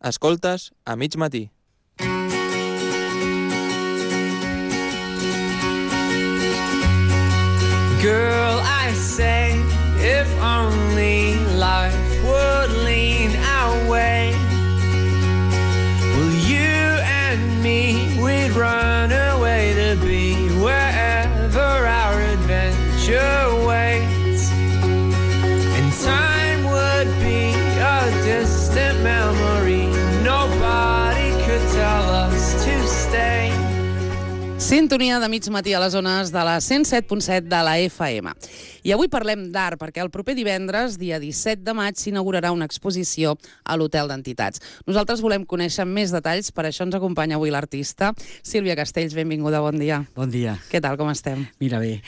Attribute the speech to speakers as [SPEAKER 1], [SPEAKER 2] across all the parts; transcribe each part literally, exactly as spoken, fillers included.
[SPEAKER 1] Escoltes a mig matí.
[SPEAKER 2] Girl, I say, if only life would lean our way. Well, you and me, we'd run away to be wherever our adventure waits. And time would be a distant memory. Nobody could tell us to stay.
[SPEAKER 3] Sintonia de mig matí a les zones de la cent set punt set de la F M. I avui parlem d'art perquè el proper divendres, dia disset de maig, s'inaugurarà una exposició a l'Hotel d'Entitats. Nosaltres volem conèixer més detalls, per això ens acompanya avui l'artista. Sílvia Castells, benvinguda, bon dia.
[SPEAKER 4] Bon dia.
[SPEAKER 3] Què tal, com estem?
[SPEAKER 4] Mira bé,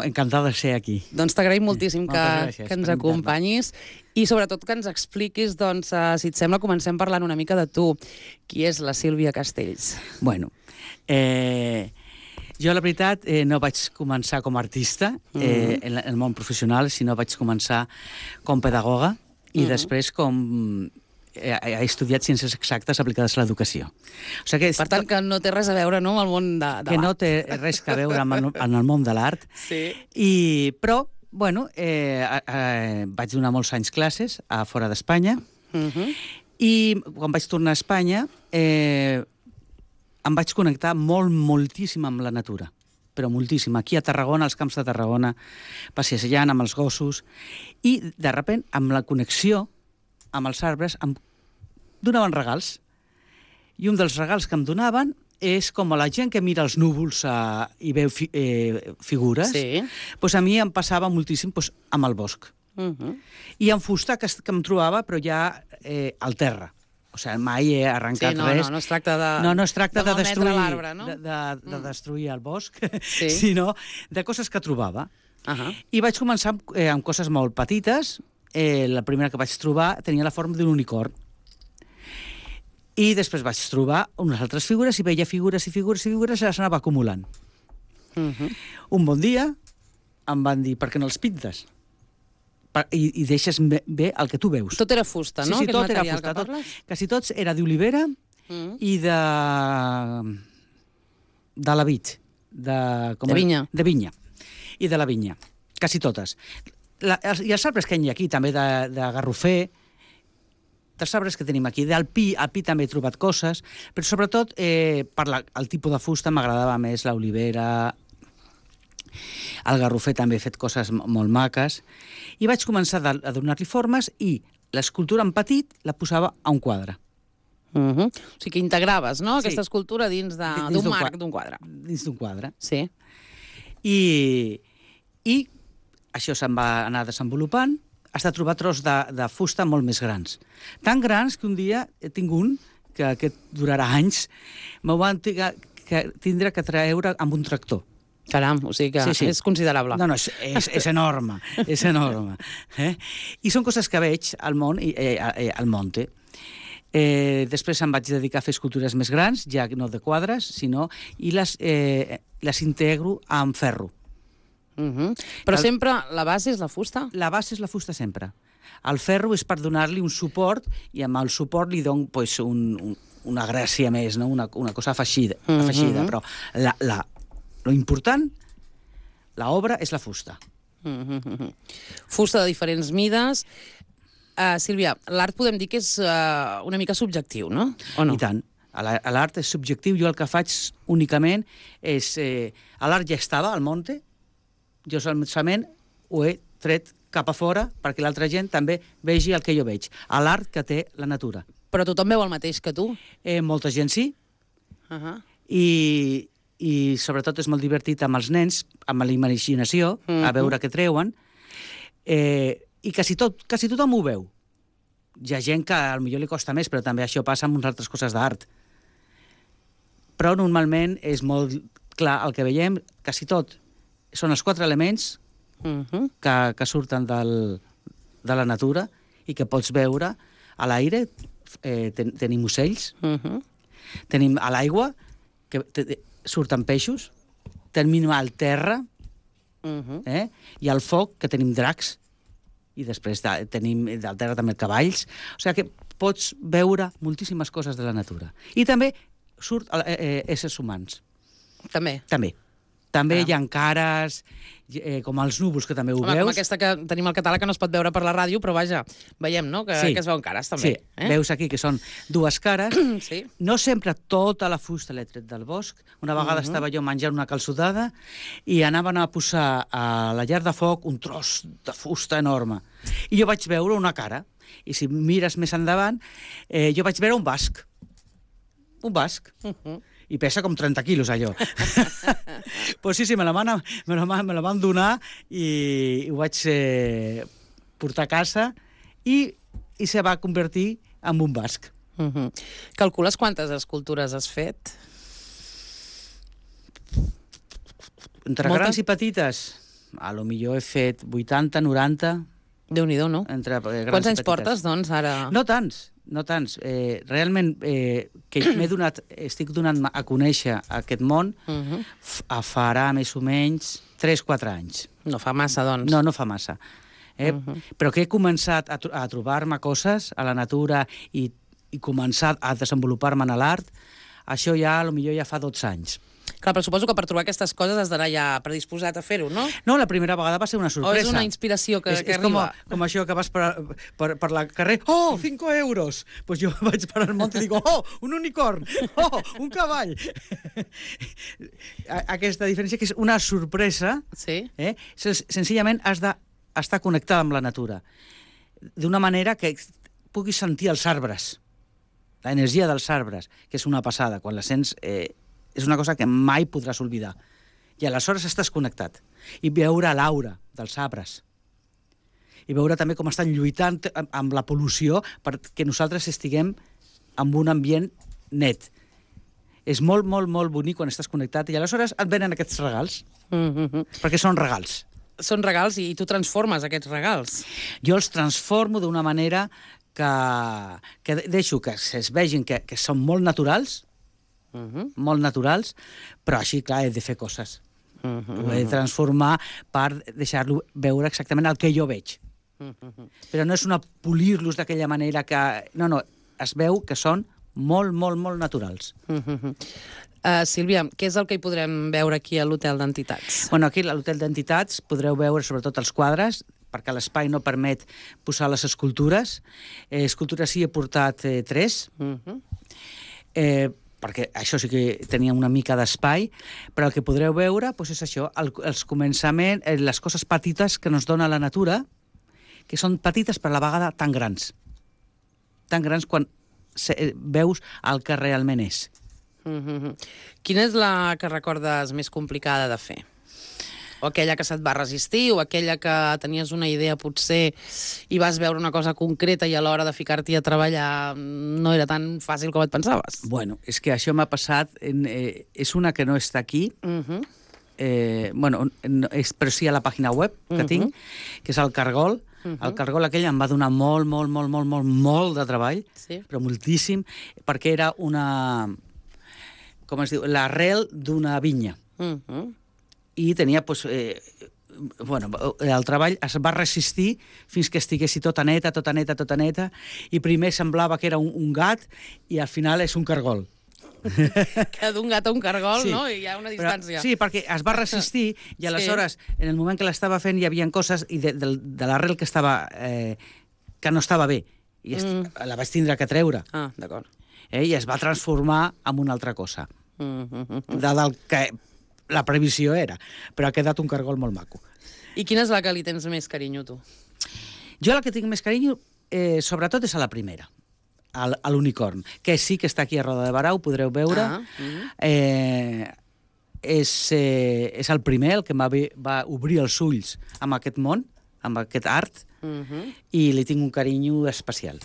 [SPEAKER 4] encantada de ser aquí.
[SPEAKER 3] Doncs t'agraïm moltíssim que,
[SPEAKER 4] gràcies,
[SPEAKER 3] que ens acompanyis i sobretot que ens expliquis, doncs, uh, si et sembla, comencem parlant una mica de tu. Qui és la Sílvia Castells?
[SPEAKER 4] Bueno, eh... jo, la veritat, eh, no vaig començar com a artista eh, mm-hmm. en el món professional, sinó vaig començar com pedagoga i mm-hmm. després com... Eh, he estudiat ciències exactes aplicades a l'educació. O sigui que,
[SPEAKER 3] per tant, que no té res a veure, no?, amb el món de, de
[SPEAKER 4] que
[SPEAKER 3] l'art.
[SPEAKER 4] no té res a veure amb el, amb el món de l'art.
[SPEAKER 3] Sí.
[SPEAKER 4] I, però, bueno, eh, eh, vaig donar molts anys classes a fora d'Espanya
[SPEAKER 3] Mm-hmm.
[SPEAKER 4] i quan vaig tornar a Espanya... Eh, em vaig connectar molt, moltíssim amb la natura, però moltíssim. Aquí a Tarragona, als camps de Tarragona, passejant amb els gossos, i de sobte, amb la connexió amb els arbres, em donaven regals. I un dels regals que em donaven és com a la gent que mira els núvols eh, i veu fi, eh, figures,
[SPEAKER 3] Sí.
[SPEAKER 4] doncs a mi em passava moltíssim doncs, amb el bosc.
[SPEAKER 3] Mm-hmm.
[SPEAKER 4] I en fusta que, que em trobava, però ja eh, al terra. O sigui, mai he arrencat
[SPEAKER 3] Sí, no,
[SPEAKER 4] res.
[SPEAKER 3] no, no es tracta de...
[SPEAKER 4] No, no es tracta de,
[SPEAKER 3] de malmetre
[SPEAKER 4] destruir,
[SPEAKER 3] l'arbre, no?
[SPEAKER 4] de, de, de
[SPEAKER 3] Mm.
[SPEAKER 4] destruir el bosc,
[SPEAKER 3] Sí.
[SPEAKER 4] sinó de coses que trobava.
[SPEAKER 3] Uh-huh.
[SPEAKER 4] I vaig començar amb, eh, amb coses molt petites. Eh, la primera que vaig trobar tenia la forma d'un unicorn. I després vaig trobar unes altres figures i veia figures i figures i figures i les anava acumulant.
[SPEAKER 3] Uh-huh.
[SPEAKER 4] Un bon dia em van dir, per què no els pintes? Per, i, i deixes bé el que tu veus.
[SPEAKER 3] Tot era fusta, no?
[SPEAKER 4] Sí, sí,
[SPEAKER 3] Aquest
[SPEAKER 4] tot era
[SPEAKER 3] material
[SPEAKER 4] fusta.
[SPEAKER 3] que
[SPEAKER 4] Tot,
[SPEAKER 3] parles?
[SPEAKER 4] quasi tots era d'olivera
[SPEAKER 3] Mm.
[SPEAKER 4] i de... de la vit. De, com
[SPEAKER 3] De
[SPEAKER 4] és?
[SPEAKER 3] vinya.
[SPEAKER 4] De vinya. I de la vinya. Quasi totes. La, els, I els arbres que hi ha aquí, també de, de garrofer, dels arbres que tenim aquí. Del pi, al pi també he trobat coses, però sobretot eh, per la, el tipus de fusta m'agradava més l'olivera, el garrofer també he fet coses molt maques, i vaig començar a, a donar-li formes i l'escultura en petit la posava a un quadre.
[SPEAKER 3] Uh-huh. O sigui que integraves, no?,
[SPEAKER 4] Sí.
[SPEAKER 3] aquesta escultura dins de-
[SPEAKER 4] Dins
[SPEAKER 3] d'un
[SPEAKER 4] d'un
[SPEAKER 3] marc,
[SPEAKER 4] quadre.
[SPEAKER 3] d'un quadre.
[SPEAKER 4] Dins d'un quadre.
[SPEAKER 3] Sí.
[SPEAKER 4] I, i això se'n va anar desenvolupant, has de trobar tros de, de fusta molt més grans. Tan grans que un dia tinc un, que aquest durarà anys, m'ho van tiga, que tindre que treure amb un tractor.
[SPEAKER 3] Caram, o sigui que
[SPEAKER 4] Sí, sí.
[SPEAKER 3] és considerable.
[SPEAKER 4] No, no, és, és, és enorme, és enorme. Eh? I són coses que veig al món, i, eh, eh, al monte. Eh, després em vaig dedicar a fer escultures més grans, ja no de quadres, sinó... i les, eh, les integro amb ferro.
[SPEAKER 3] Uh-huh. Però
[SPEAKER 4] El-
[SPEAKER 3] sempre la base és la fusta?
[SPEAKER 4] La base és la fusta sempre. El ferro és per donar-li un suport i amb el suport li dono pues, un, un, una gràcia més, no? una, una cosa afegida,
[SPEAKER 3] Mhm.
[SPEAKER 4] afegida. Però la, la, lo important, l'obra, és la fusta.
[SPEAKER 3] Uh-huh. Fusta de diferents mides. Uh, Sílvia, l'art podem dir que és uh, una mica subjectiu, no? O no?
[SPEAKER 4] I tant. A la- a l'art és subjectiu. Jo el que faig únicament és... Eh, l'art ja estava al monte, jo solament ho he tret cap a fora perquè l'altra gent també vegi el que jo veig. A l'art que té la natura.
[SPEAKER 3] Però tothom veu el mateix que tu?
[SPEAKER 4] Eh, molta gent sí,
[SPEAKER 3] Uh-huh.
[SPEAKER 4] i, i sobretot és molt divertit amb els nens, amb la imaginació,
[SPEAKER 3] Mhm.
[SPEAKER 4] a veure què treuen, eh, i quasi, tot, quasi tothom ho veu. Hi ha gent que potser li costa més, però també això passa amb unes altres coses d'art. Però normalment és molt clar el que veiem, quasi tot. Són els quatre elements
[SPEAKER 3] Uh-huh.
[SPEAKER 4] que, que surten del, de la natura i que pots veure a l'aire. Eh, ten, tenim ocells,
[SPEAKER 3] Uh-huh.
[SPEAKER 4] tenim a l'aigua, que te, te, surten peixos, tenim al terra,
[SPEAKER 3] Uh-huh.
[SPEAKER 4] eh? i al foc, que tenim dracs, i després de, tenim del terra també cavalls. O sigui que pots veure moltíssimes coses de la natura. I també surt eh, eh, éssers humans.
[SPEAKER 3] També.
[SPEAKER 4] També. També
[SPEAKER 3] Ah.
[SPEAKER 4] hi ha cares, eh, com els núvols, que també ho
[SPEAKER 3] Home,
[SPEAKER 4] veus.
[SPEAKER 3] com aquesta que tenim al català, que no es pot veure per la ràdio, però vaja, veiem, no?, que,
[SPEAKER 4] Sí.
[SPEAKER 3] que es veuen cares, també.
[SPEAKER 4] Sí, eh? Veus aquí que són dues cares.
[SPEAKER 3] Sí.
[SPEAKER 4] No sempre tota la fusta l'he tret del bosc. Una vegada uh -huh. estava jo menjant una calçotada i anaven a posar a la llar de foc un tros de fusta enorme. I jo vaig veure una cara. I si mires més endavant, eh, jo vaig veure un basc. Un basc.
[SPEAKER 3] Uh -huh.
[SPEAKER 4] I pesa com trenta quilos, allò. Pues sí, sí, me la van, me la, van- me la van donar i, i ho vaig eh, portar a casa i, i se va convertir en un basc.
[SPEAKER 3] Uh -huh. Calcules quantes escultures has fet?
[SPEAKER 4] Entre
[SPEAKER 3] Moltes?
[SPEAKER 4] grans i petites, a lo millor he fet vuitanta, noranta...
[SPEAKER 3] Déu-n'hi-do, no?
[SPEAKER 4] Entre eh, grans
[SPEAKER 3] Quants
[SPEAKER 4] i
[SPEAKER 3] anys
[SPEAKER 4] petites.
[SPEAKER 3] portes, doncs, ara?
[SPEAKER 4] No tants, no tants. Eh, realment, eh, que m'he donat, estic donant a conèixer aquest món,
[SPEAKER 3] Uh -huh.
[SPEAKER 4] f- a farà més o menys tres quatre anys.
[SPEAKER 3] No fa massa, doncs.
[SPEAKER 4] No, no fa massa. Eh? Uh -huh. Però que he començat a, tro a trobar-me coses a la natura i, i començar a desenvolupar-me en l'art, això ja, potser ja fa dotze anys.
[SPEAKER 3] Clar, però suposo que per trobar aquestes coses has d'anar ja predisposat a fer-ho, no?
[SPEAKER 4] No, la primera vegada va ser una sorpresa.
[SPEAKER 3] O és una inspiració que,
[SPEAKER 4] és,
[SPEAKER 3] que
[SPEAKER 4] és com,
[SPEAKER 3] arriba?
[SPEAKER 4] com això que vas per, per, per la carrer, oh, cinco euros! Doncs pues jo vaig per al món i dic, oh, un unicorn, oh, un cavall! Aquesta diferència que és una sorpresa,
[SPEAKER 3] Sí?
[SPEAKER 4] eh? Sen- senzillament has d'estar connectada amb la natura, d'una manera que puguis sentir els arbres, l'energia dels arbres, que és una passada, quan la sents... Eh, és una cosa que mai podràs oblidar. I aleshores estàs connectat. I veure l'aura dels arbres. I veure també com estan lluitant amb- amb la pol·lució perquè nosaltres estiguem en un ambient net. És molt, molt, molt bonic quan estàs connectat i aleshores et venen aquests regals,
[SPEAKER 3] Mm -hmm.
[SPEAKER 4] perquè són regals.
[SPEAKER 3] Són regals i tu transformes aquests regals.
[SPEAKER 4] Jo els transformo d'una manera que, que deixo que es vegin que, que són molt naturals,
[SPEAKER 3] Uh -huh.
[SPEAKER 4] molt naturals, però així, clar, he de fer coses.
[SPEAKER 3] Uh -huh.
[SPEAKER 4] Ho he de transformar per deixar-lo veure exactament el que jo veig.
[SPEAKER 3] Uh -huh.
[SPEAKER 4] Però no és una polir-los d'aquella manera que... No, no, es veu que són molt, molt, molt naturals.
[SPEAKER 3] Uh -huh. uh, Sílvia, què és el que hi podrem veure aquí a l'Hotel d'Entitats?
[SPEAKER 4] Bueno, aquí a l'Hotel d'Entitats podreu veure sobretot els quadres, perquè l'espai no permet posar les escultures. Eh, escultures sí he portat eh, tres,
[SPEAKER 3] Uh -huh.
[SPEAKER 4] eh, perquè això sí que tenia una mica d'espai, però el que podreu veure doncs és això, el, els començaments, eh, les coses petites que ens dona la natura, que són petites però a la vegada tan grans. Tan grans quan se, eh, veus el que realment és.
[SPEAKER 3] Uh -huh. Quina és la que recordes més complicada de fer? O aquella que se't va resistir, o aquella que tenies una idea potser i vas veure una cosa concreta i a l'hora de ficar-t'hi a treballar no era tan fàcil com et pensaves?
[SPEAKER 4] Bueno, és que això m'ha passat, en, eh, és una que no està aquí,
[SPEAKER 3] Uh -huh.
[SPEAKER 4] eh, bueno, no, és, però sí a la pàgina web que
[SPEAKER 3] Uh-huh.
[SPEAKER 4] tinc, que és el Cargol.
[SPEAKER 3] Uh-huh.
[SPEAKER 4] El Cargol aquell em va donar molt, molt, molt, molt, molt, molt de treball,
[SPEAKER 3] Sí.
[SPEAKER 4] però moltíssim, perquè era una... com es diu? L'arrel d'una vinya.
[SPEAKER 3] Uh -huh.
[SPEAKER 4] I tenia, doncs, eh, bueno, el treball es va resistir fins que estiguessi tota neta, tota neta, tota neta, i primer semblava que era un, un gat i al final és un cargol.
[SPEAKER 3] Que d'un gat a un cargol,
[SPEAKER 4] Sí.
[SPEAKER 3] no? I hi ha una distància.
[SPEAKER 4] Però, sí, perquè es va resistir i aleshores, sí. en el moment que l'estava fent, hi havia coses i de, de, de l'arrel que estava eh, que no estava bé. I mm. la vaig tindre que treure.
[SPEAKER 3] Ah, d'acord.
[SPEAKER 4] Eh, I es va transformar en una altra cosa.
[SPEAKER 3] Uh -huh.
[SPEAKER 4] De, del que la previsió era. Però ha quedat un cargol molt maco.
[SPEAKER 3] I quina és la que li tens més carinyo, tu?
[SPEAKER 4] Jo la que tinc més carinyo, eh, sobretot, és a la primera, a l'unicorn, que sí que està aquí a Roda de Barà, ho podreu veure.
[SPEAKER 3] Ah, uh -huh.
[SPEAKER 4] eh, és, eh, és el primer, el que va, va obrir els ulls amb aquest món, amb aquest art,
[SPEAKER 3] uh -huh.
[SPEAKER 4] i li tinc un carinyo especial.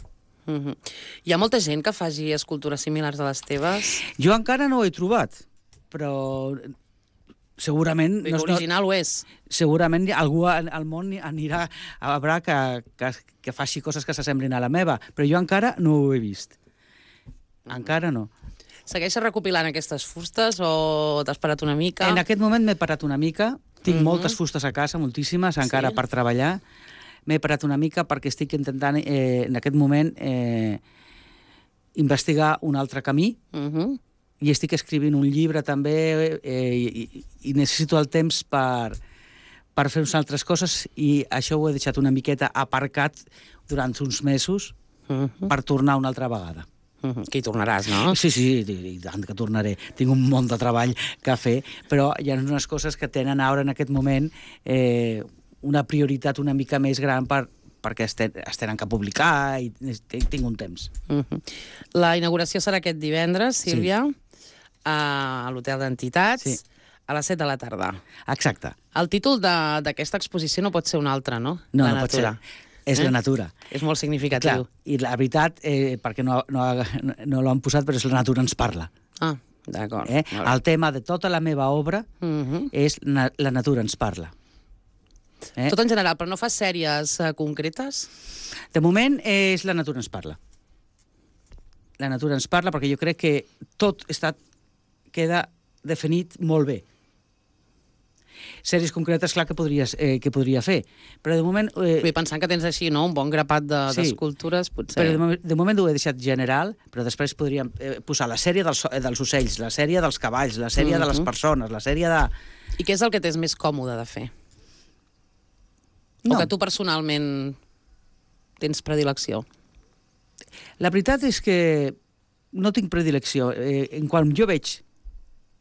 [SPEAKER 3] Uh -huh. Hi ha molta gent que faci escultures similars a les teves?
[SPEAKER 4] Jo encara no ho he trobat, però segurament...
[SPEAKER 3] No, original ho és.
[SPEAKER 4] Segurament algú al món anirà a veure que, que, que faci coses que s'assemblin a la meva, però jo encara no ho he vist. Encara no.
[SPEAKER 3] Segueixes recopilant aquestes fustes o t'has parat una mica?
[SPEAKER 4] En aquest moment m'he parat una mica, tinc
[SPEAKER 3] Mhm.
[SPEAKER 4] moltes fustes a casa, moltíssimes, encara
[SPEAKER 3] Sí.
[SPEAKER 4] per treballar, m'he parat una mica perquè estic intentant, eh, en aquest moment, eh, investigar un altre camí,
[SPEAKER 3] Uh -huh.
[SPEAKER 4] i estic escrivint un llibre també, eh, i, i necessito el temps per, per fer unes altres coses, i això ho he deixat una miqueta aparcat durant uns mesos
[SPEAKER 3] Uh -huh.
[SPEAKER 4] per tornar una altra vegada.
[SPEAKER 3] Uh -huh. Que hi tornaràs, no?
[SPEAKER 4] Sí, sí, i, i tant que tornaré. Tinc un munt de treball que fer, però hi ha unes coses que tenen ara en aquest moment eh, una prioritat una mica més gran per, perquè es, ten, es tenen que publicar i tinc un temps.
[SPEAKER 3] Uh -huh. La inauguració serà aquest divendres, Sílvia, sí. a l'Hotel d'Entitats, sí. a les set de la tarda.
[SPEAKER 4] Exacte.
[SPEAKER 3] El títol d'aquesta exposició no pot ser un altre, no?
[SPEAKER 4] No,
[SPEAKER 3] la
[SPEAKER 4] no pot
[SPEAKER 3] natura.
[SPEAKER 4] ser. És eh? la natura.
[SPEAKER 3] És molt significatiu.
[SPEAKER 4] Clar, i la veritat, eh, perquè no, no, no l'han posat, però és la natura ens parla.
[SPEAKER 3] Ah, d'acord.
[SPEAKER 4] Eh? El tema de tota la meva obra uh -huh. és na, la natura ens parla.
[SPEAKER 3] Eh? Tot en general, però no fas sèries uh, concretes?
[SPEAKER 4] De moment és la natura ens parla. La natura ens parla perquè jo crec que tot està, queda definit molt bé. Sèries concretes, clar, que, podries, eh, que podria fer, però de moment... Eh...
[SPEAKER 3] Vull pensant que tens així, no?, un bon grapat d'escultures, de, potser...
[SPEAKER 4] Però de, moment, de moment ho he deixat general, però després podríem eh, posar la sèrie dels, dels ocells, la sèrie dels cavalls, la sèrie uh -huh. de les persones, la sèrie de...
[SPEAKER 3] I què és el que t'és més còmode de fer? No. O que tu personalment tens predilecció?
[SPEAKER 4] La veritat és que no tinc predilecció. Eh, en quan jo veig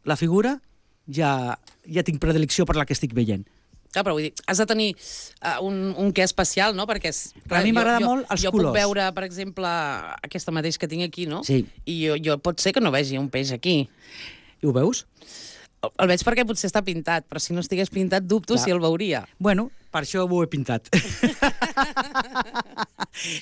[SPEAKER 4] la figura, ja, ja tinc predilecció per la que estic veient.
[SPEAKER 3] Clar, però vull dir, has de tenir uh, un, un què especial, no? Perquè és,
[SPEAKER 4] clar, a mi m'agrada molt els
[SPEAKER 3] jo
[SPEAKER 4] colors.
[SPEAKER 3] Jo puc veure, per exemple, aquesta mateix que tinc aquí, no?
[SPEAKER 4] Sí.
[SPEAKER 3] I jo, jo pot ser que no vegi un peix aquí.
[SPEAKER 4] I ho veus?
[SPEAKER 3] El, el veig perquè potser està pintat, però si no estigués pintat dubto clar. Si el veuria.
[SPEAKER 4] Bueno, per això ho he pintat.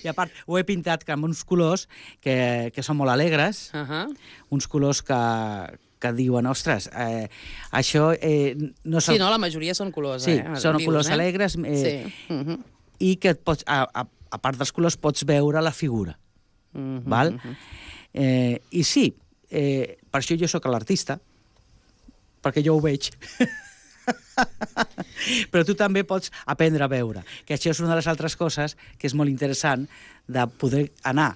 [SPEAKER 4] I a part, ho he pintat amb uns colors que, que són molt alegres, uh -huh. uns colors que... que diuen, ostres, eh, això... Eh, no
[SPEAKER 3] sí, no, la majoria són colors,
[SPEAKER 4] sí,
[SPEAKER 3] eh?
[SPEAKER 4] Sí, són
[SPEAKER 3] vius,
[SPEAKER 4] colors
[SPEAKER 3] eh?
[SPEAKER 4] alegres, eh,
[SPEAKER 3] sí. uh -huh.
[SPEAKER 4] i que pots, a, a, a part dels colors pots veure la figura, uh -huh, val? Uh -huh. eh, I sí, eh, per això jo sóc l'artista, perquè jo ho veig. Però tu també pots aprendre a veure, que això és una de les altres coses que és molt interessant, de poder anar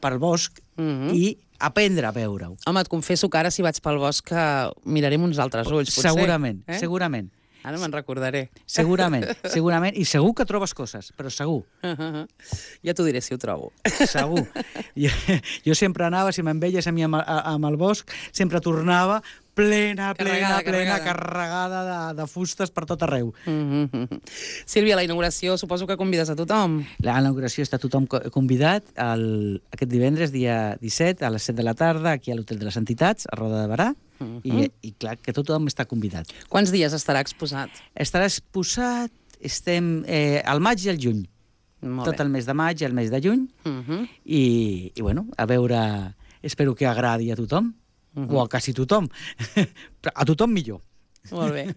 [SPEAKER 4] pel bosc uh -huh. i aprendre a veure-ho.
[SPEAKER 3] Home, et confesso que ara si vaig pel bosc mirarem uns altres ulls, potser.
[SPEAKER 4] Segurament,
[SPEAKER 3] eh?
[SPEAKER 4] segurament.
[SPEAKER 3] Ara me'n recordaré.
[SPEAKER 4] Segurament, segurament. I segur que trobes coses, però segur.
[SPEAKER 3] Uh -huh. Ja t'ho diré si ho trobo.
[SPEAKER 4] Segur. Jo, jo sempre anava, si me'n veies a mi amb, amb el bosc, sempre tornava plena, plena,
[SPEAKER 3] carregada,
[SPEAKER 4] plena,
[SPEAKER 3] carregada,
[SPEAKER 4] carregada de, de fustes per tot arreu.
[SPEAKER 3] Uh -huh. Sílvia, la inauguració suposo que convides a tothom.
[SPEAKER 4] La inauguració està tothom convidat el, aquest divendres, dia disset, a les set de la tarda, aquí a l'Hotel de les Entitats, a Roda de Barà, uh -huh. i, i clar, que tothom està convidat.
[SPEAKER 3] Quants dies estarà exposat?
[SPEAKER 4] Estarà exposat, estem eh, al maig i al juny.
[SPEAKER 3] Molt
[SPEAKER 4] tot
[SPEAKER 3] bé.
[SPEAKER 4] El mes de maig i el mes de juny, uh -huh. i, i bueno, a veure, espero que agradi a tothom, uh -huh. o a quasi tothom. A tothom millor.
[SPEAKER 3] Molt bé.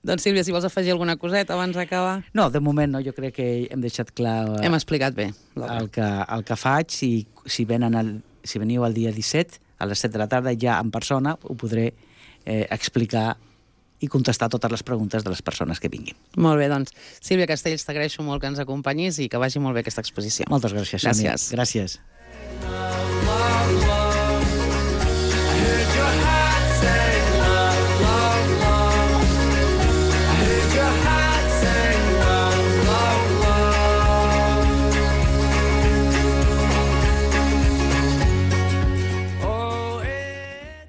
[SPEAKER 3] Doncs, Sílvia, si vols afegir alguna coseta abans d'acabar...
[SPEAKER 4] No, de moment no, jo crec que hem deixat clar...
[SPEAKER 3] Hem explicat bé.
[SPEAKER 4] El que, el que faig, i si, venen el, si veniu el dia disset, a les set de la tarda, ja en persona, ho podré eh, explicar i contestar totes les preguntes de les persones que vinguin.
[SPEAKER 3] Molt bé, doncs, Sílvia Castells, t'agraeixo molt que ens acompanyis i que vagi molt bé aquesta exposició.
[SPEAKER 4] Moltes gràcies.
[SPEAKER 3] Gràcies.
[SPEAKER 4] Gràcies.